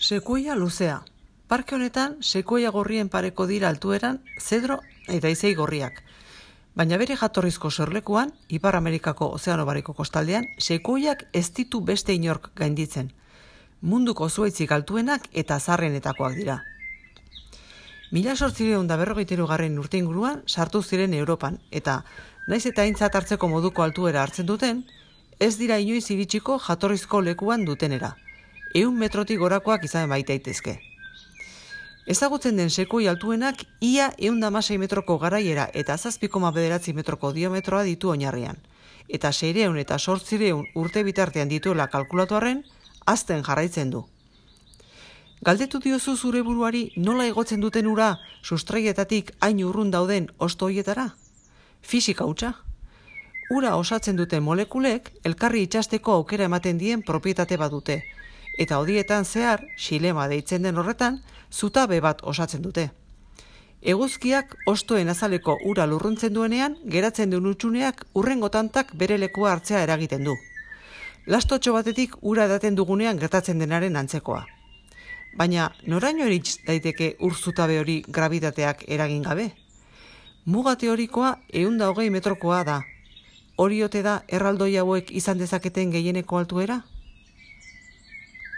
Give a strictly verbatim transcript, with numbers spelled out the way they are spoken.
Sekuia luzea. Parke honetan, sekuia gorrien pareko dira altueran, zedro eta izei gorriak. Baina bere jatorrizko sorlekuan, Ipar Amerikako ozeano bariko kostaldean, sekuiak ez ditu beste inork gainditzen. Munduko zuaitzik altuenak eta zarrenetakoak dira. Mila sortzireun da berrogeita hirugarren urte inguruan sartu ziren Europan, eta naiz eta aintzat hartzeko moduko altuera hartzen duten, ez dira inoiz iritsiko jatorrizko lekuan dutenera. Ehun metrotik gorakoak izan baita daitezke. Ezagutzen den sekui altuenak ia ehun eta hamasei metroko garaiera eta zazpi koma bederatzi metroko diometroa ditu oinarrian, eta seiehun eta zortziehun urte bitartean dituela kalkulatu arren, hazten jarraitzen du. Galdetu diozu zure buruari nola igotzen duten ura sustraietatik hain urrun dauden hosto hoietara? Fisika hutsa. Ura osatzen duten molekulek elkarri itsasteko aukera ematen dien propietate badute, eta hodietan zehar, xilema deitzen den horretan, zutabe bat osatzen dute. Eguzkiak hostoen azaleko ura lurruntzen duenean, geratzen duen utxuneak urrengo tantak bere lekua hartzea eragiten du. Lastotxo batetik ura edaten dugunean gertatzen denaren antzekoa. Baina noraino iritz daiteke ur zutabe hori grabitateak eragin gabe? Muga teorikoa ehun eta hogei metrokoa da. Hori ote da erraldoi hauek izan dezaketen gehieneko altuera?